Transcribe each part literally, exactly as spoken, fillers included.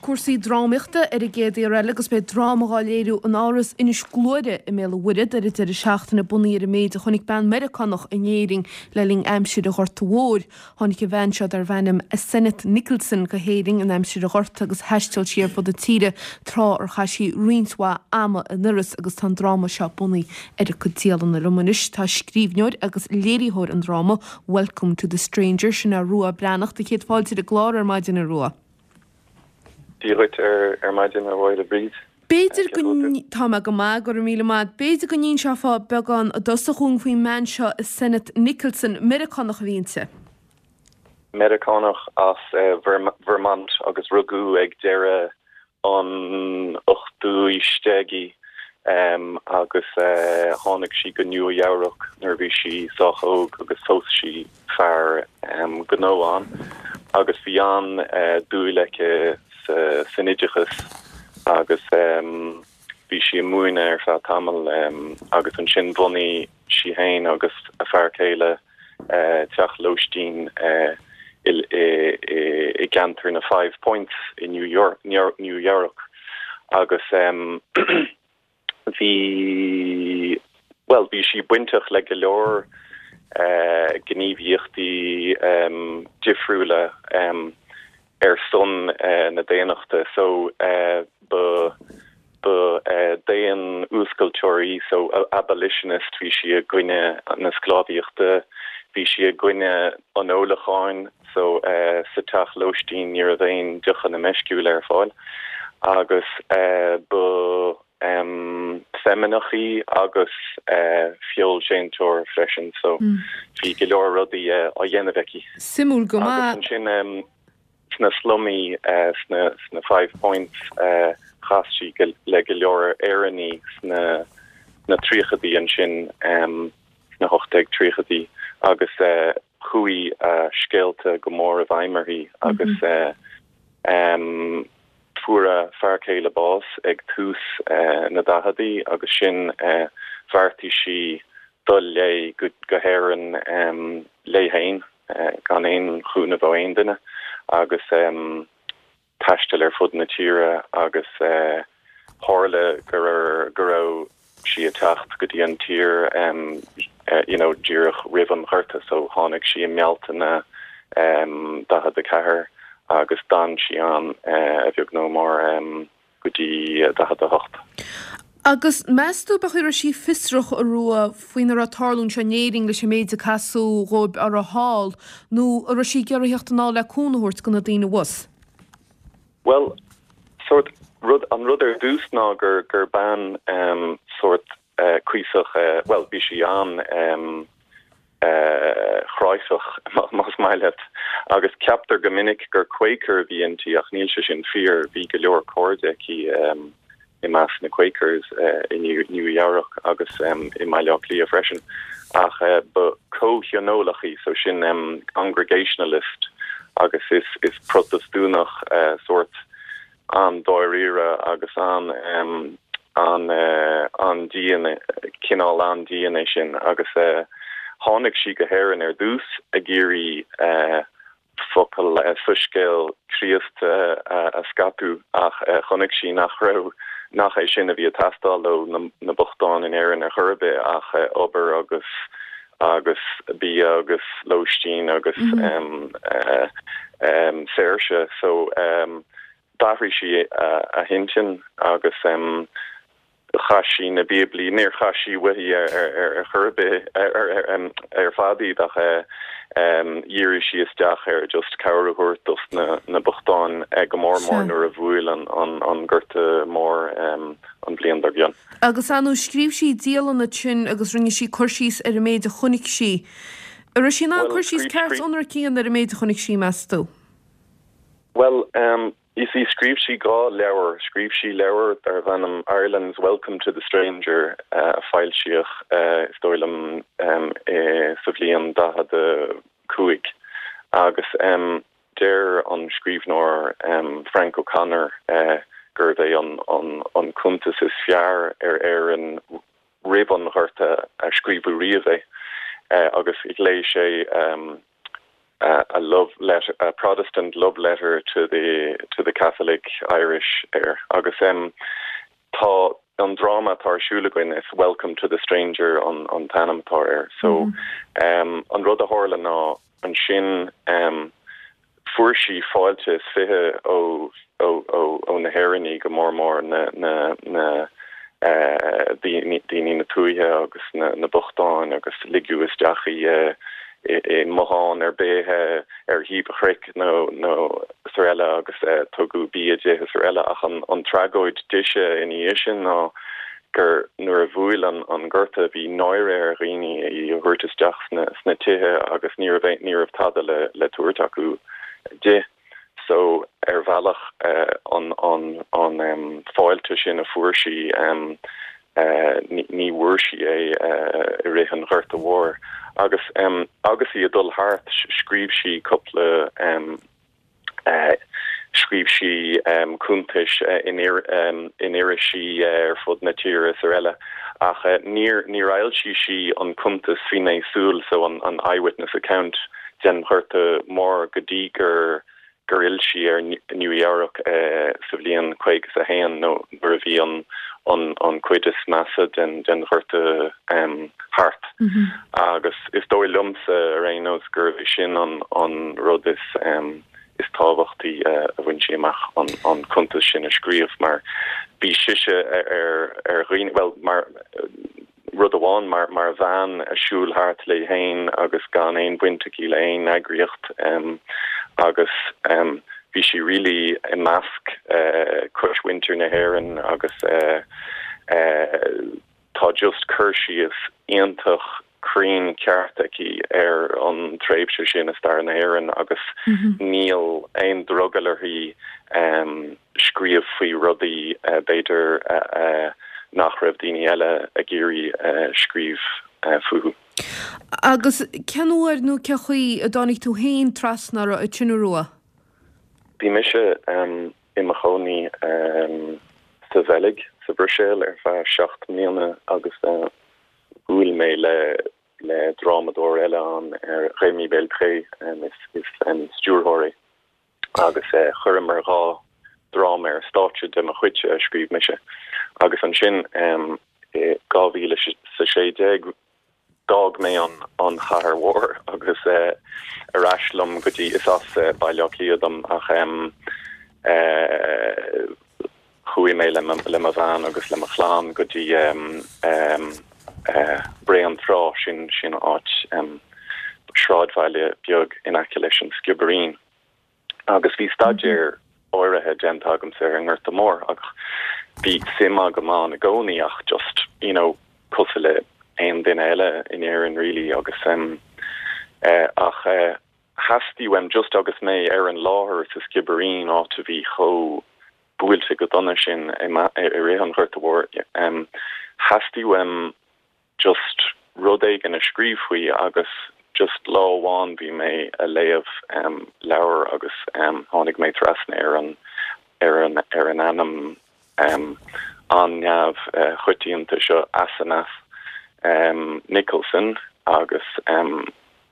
cúrsaí drámaíochta ar an gcéad fhear eile agus beidh dráma á léiriú in Áras Inis Gluaire i mBéal an Mhuirthead ar an deireadh seachtaine bunaithe ar an méid a chonaic bean Meiriceánach in Éirinn le linn aimsir an Ghorta Mhóir. Tháinig an bhean seo darbh ainm Asenath Nicholson go hÉirinn in aimsir an Ghorta agus thaistil sí ar fud na tíre tráth ar chaith sí roinnt mhaith ama in Iorras agus tá an dráma seo bunaithe ar a cuid dialanna. Liom anois tá scríbhneoir agus léiritheoir an dráma Welcome to the Stranger sin é Rua Breathnach tá céad fáilte ar an gclár ar maidin a Rua. Dia dhuit ar ar maidin a Mháire Bríd. B'fhéidir go tá mé go maith go raibh míle maith, B'fhéidir go n-inseofá beagán i dtosach dúinn faoin mbean seo Asenath Nicholson Meiriceánach a bhí inti. Meiriceánach as uh, Vermont agus rugadh ag deireadh an ochtú haois déag í um, agus uh, tháinig sí go Nua Eabhrac nuair bhí sí sách óg agus phós sí fear um, gnó ann agus bhí an uh, dúil aici san oideachas agus um, bhí sí ag múineadh ar feadh tamall um, agus ansin bhunaigh sí féin agus a fear céile uh, teach lóistín uh, i, i, i, i gceantar na Five Points i New York New, New York agus um, bhí well bhí sí bainteach le go leor uh, gníomhaíochtaí um, difriúla um, ar son uh, na daonnachta so uh, ba ba uh, daonfhuascailteoir í so abolitionist bhí sí i gcoinne na sclábhaíochta bhí sí i gcoinne an ólacháin so uh, sa teach lóistín ní raibh aon deochanna meisciúla ar fáil agus uh, ba um, feimineach í agus uh, feoilséantóir freisin so mm. bhí go leor rudaí uh, á dhéanamh aici. Suimiúil go maith sin um, sna slumaí uh, sna, sna Five Points uh, chas sí le go leor Éireannaigh sna na tríochaidí ansin um, sna hocht déag tríochaidí agus uh, chuaigh uh, scéalta go mór i bhfeidhm uirthi agus mm -hmm. uh, um, fuair a fear céile bás ag tús uh, na daicheadaí agus sin uh, bheartaigh sí dul léi go, go hÉirinn um, léi féin uh, gan aon chúnamh ó aon duine agus um, taisteal ar fud na tíre agus uh, tharla gur go raibh sí ag teacht go dtí an tír um, uh, you know, díreach roimh an Ghorta so tháinig sí i mBealtaine um, daichead a ceathair agus d'fhan sí ann uh, a bheag nó mór um, go dtí daichead a hocht. Agus meas tú an raibh sí fiosrach a Rua faoina raibh ag tarlú anseo in Éirinn leis an méid a casadh dóibh ar a shaol nó an raibh sí ag iarraidh teacht anall le cúnamh a thabhairt do na daoine abhus. Well sort rud an rud ar dtús ná gur gur bean um, sort uh, cuíosach uh, well bhí sí an um, uh, chráifeach más maith leat agus ceaptar go minic gur Quaker bhí inti ach níl sé sin fíor bhí go leor cairde aici um, i measc na Quakers uh, i New, New York agus um, i mBaile Átha Cliath freisin ach uh, ba comhthionólach í so sin um, congregationalist agus is is Protastúnach uh, sort an dáiríre agus an um, an uh, an dian cineál an dian é sin agus uh, tháinig sí go hÉirinn ar dtús ag iarraidh uh, focal uh, soiscéal Chríost uh, uh, a scaipeadh ach uh, chonaic sí nach raibh nach é sin a bhí ag teastáil ó na, na bochtáin in Éirinn ar chor ar bith ach uh, obair agus agus bia agus lóistín agus mm -hmm. um, uh, um, saoirse so um, d'athraigh sí uh, a hintinn agus um, chaith sí na Bíoblaí níor chaith sí uaithi ar ar ar chor ar bith ar ar ar fad iad ach um, dhírigh sí isteach ar just cabhair a thabhairt dos na na bochtáin go mór mór nuair a bhuail an an an Gorta Mór um, an bhliain dár gcionn. Agus anu scríobh sí dialanna sin agus rinne sí cur síos ar an méid a chonaic sí. An raibh sí in ann cur síos ceart ionraic a dhéanamh ar an méid a chonaic sí meas tú? Well um, You see scríobh sí dhá leabhar scríobh sí leabhar darbh ainm Ireland's Welcome to the Stranger uh, a foilsíodh uh, is dóigh liom um, e, sa bhliain daichead a cúig agus um, deir an scríbhneoir um, Frank O'Connor uh, gurb é an, an, an cuntas is fearr ar Éirinn roimh an Ghorta a scríobhadh riamh é uh, agus léigh sé um, uh, a love letter a Protestant love letter to the to the Catholic Irish air agus um, tá an dráma atá ar siúl againn is Welcome to the Stranger an an t-ainm atá air so mm -hmm. um, an rud a tharla ná ansin um, fuair sí fáilte is fiche ó ó ó ó na hÉireannaigh go mór mór na na na uh, daoine na tuaithe agus na, na bochtáin agus ligeadh isteach í uh, i, i mbothán ar bith ar thaobh chnoic nó nó sar eile agus uh, tugadh bia di sar eile ach an, an tragóid dise ina dhiaidh sin ná gur nuair a bhuail an, an gorta bhí náire ar dhaoine í a thabhairt isteach sna, sna tithe agus ní raibh ní raibh tada le le tabhairt acu di. So ar bhealach uh, an an an um, fáilte sin a fuair sí um, uh, ní, ní bhfuair sí é uh, i rith an Ghorta Mhóir agus um, agus í ag dul thart scríobh sí cúpla um, uh, scríobh sí um, cuntais uh, in, ir, um, in irisí uh, ar fud na tíre is ar eile ach uh, níor níor fhoilsigh sí an cuntas fíné súl so an, an eyewitness account den Ghorta Mór go dtí gur gur fhill sí ar Nua Eabhrac uh, sa bhliain caoga a haon nó nuair a bhí an an an chuid is measa den den Ghorta um, thart. Mm -hmm. agus is dóigh liomsa ar aon nós gur sin an an rud is um, is tábhachtaí uh, a bhain sí amach an an cuntas sin a scríobh mar bhí sise ar ar dhaoine well mar rud amháin mar mar bhean ag siúl thart léi féin agus gan aon bhaint aici le aon eagraíocht um, agus um, bhí sí really i measc uh, cosmhuintir na hÉireann agus uh, uh, tá just cur síos iontach cruinn ceart aici ar an tréimhse sin i stair na hÉireann agus mm -hmm. níl aon drogall uirthi um, scríobh faoi rudaí uh, b'fhéidir uh, uh, nach raibh daoine eile ag iarraidh uh, scríobh uh, fúthu. Agus cén uair nó cén chaoi a dtáinig tú féin trasna uirthi ansin a Rua? Bhí mise um, i mo chónaí um, sa Bheilg sa Bhruiséil ar feadh seacht mbliana agus uh, bhuail mé le le drámadóir eile an ar Rémi Belpré um, is, is um, stiúrthóir agus uh, chuireamar dhá dráma ar stáitse de mo chuid a scríobh mise agus ansin um, dhá mhíle sa sé déag d'fhág mé an an chathair mhór agus uh, ar ais liom go dtí is as uh, Baile Átha Cliath dom ach um, uh, chuaigh mé le le mo bhean agus le mo chlann go dtí um, um, uh, Bré an Trá sin sin áit um, sráidbhaile beag in aice leis an Sciobairín. Agus bhí staidéar áirithe déanta agam ar an nGorta Mór ach bhí suim agam ann i gcónaí ach just you know cosúil le aon duine eile in Éirinn really agus um, uh, ach uh, theastaigh uaim just agus mé ar an láthair sa Sciobairín áit a bhí chomh buailte go dona sin i rith an Ghorta Mhór um, theastaigh uaim just rud éigin a scríobh faoi agus just lá amháin bhí mé ag léamh um, leabhar agus um, tháinig mé trasna ar an ar an ar an ainm um, an neamh uh, choitianta seo Asenath um, Nicholson agus um,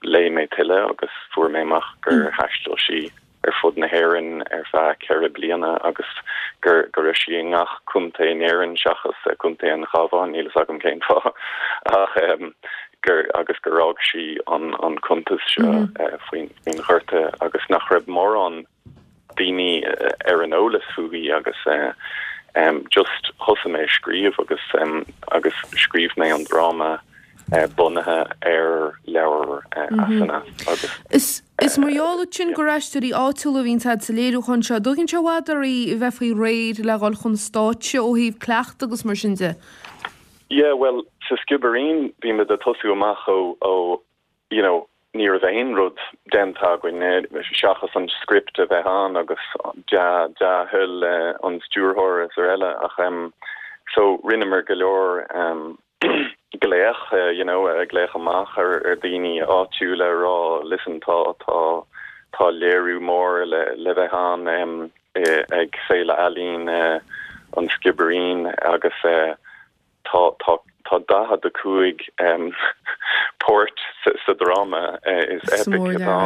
léigh mé tuilleadh agus fuair mé amach gur mm. thaistil sí ar fud na hÉireann ar feadh ceithre bliana agus gur gur sí i ngach contae in Éirinn seachas Contae an Chabháin níl a fhios agam cén fáth ach um, gur agus gur fhág sí an an cuntas seo mm -hmm. uh, faoin faoin Ghorta agus nach raibh mórán daoine uh, ar an eolas fúithi agus uh, um, just thosaigh mé scríobh agus um, agus scríobh mé an dráma uh, bunaithe ar leabhar uh, mm -hmm. Asenath agus Is Is mar gheall sin gur aisteoirí áitiúla a bhíonn sa léiriúchán seo, dtógann sé i bhfad oraibh bheith faoi réir le dhul chun stáitse ó thaobh cleachtadh agus mar sin de. Yeah, well sa Sciobairín bhí muid ag tosú amach ó ó you know ní raibh aon rud déanta againn seachas an script a bheith ann agus dea-thoil uh, an stiúrthóir is ar eile ach um, so rinneamar go leor um, glaoch uh, you know uh, glaoch amach ar ar daoine áitiúla rá listen tá tá tá léiriú mór le le bheith ann um, ag Féile Ealaíon uh, an Sciobairín agus uh, tá tá tá tá daichead a cúig um, páirt sa, sa dráma uh, is epic atá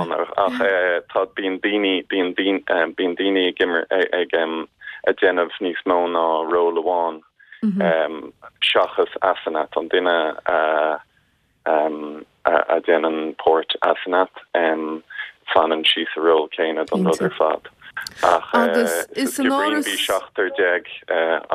ach uh, tá bíonn daoine bíonn um, bíonn daoine ag ag, ag um, ag déanamh níos mó ná ról amháin mm -hmm. um, seachas Asenath an duine uh, um, a, a déanann páirt Asenath um, fanann sí sa ról céanna don rud ar fad. Ach agus is an áras bhí seachtar déag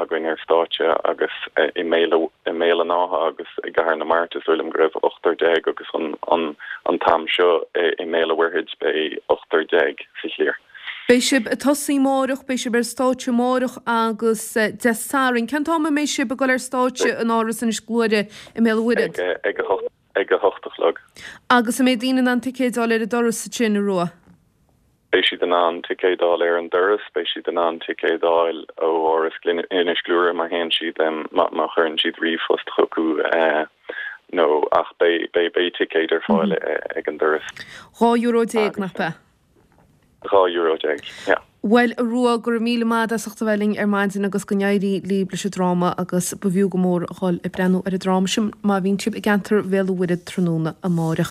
againn ar stáitse agus i mBéal an Átha agus i gCathair na Mart is dóigh liom go raibh ochtar déag agus an an an t-am seo i mBéal an Mhuirthead beidh ochtar déag sa chliar. Beidh sibh ag tosaí amárach beidh sibh ar stáitse amárach agus Dé Sathairn Cén t-am a mbeidh sibh ag dul ar stáitse in Áras Inis Gluaire i mBéal an Mhuirthead. Ag ag a hocht a chlog. Agus an mbeidh daoine in ann ticéid a fháil ar an doras sin a Rua. Beidh siad in ann ticéid a fháil ar an doras, beidh siad in ann ticéid a fháil ó Áras Inis Gluaire má théann siad má chuireann siad ríomhphost chucu nó ach beidh ticéid ar fáil ag an doras. Dhá euro déag nach ea? Dhá euro déag, yeah. Bhuel a Rua go raibh míle maith as ucht a bheith linn ar maidin agus go n-éirí libh leis an dráma agus b'fhiú go mór a dhul ag breathnú ar an dráma sin má bhíonn sibh i gceantar Bhéal an Mhuirthead tráthnóna amárach.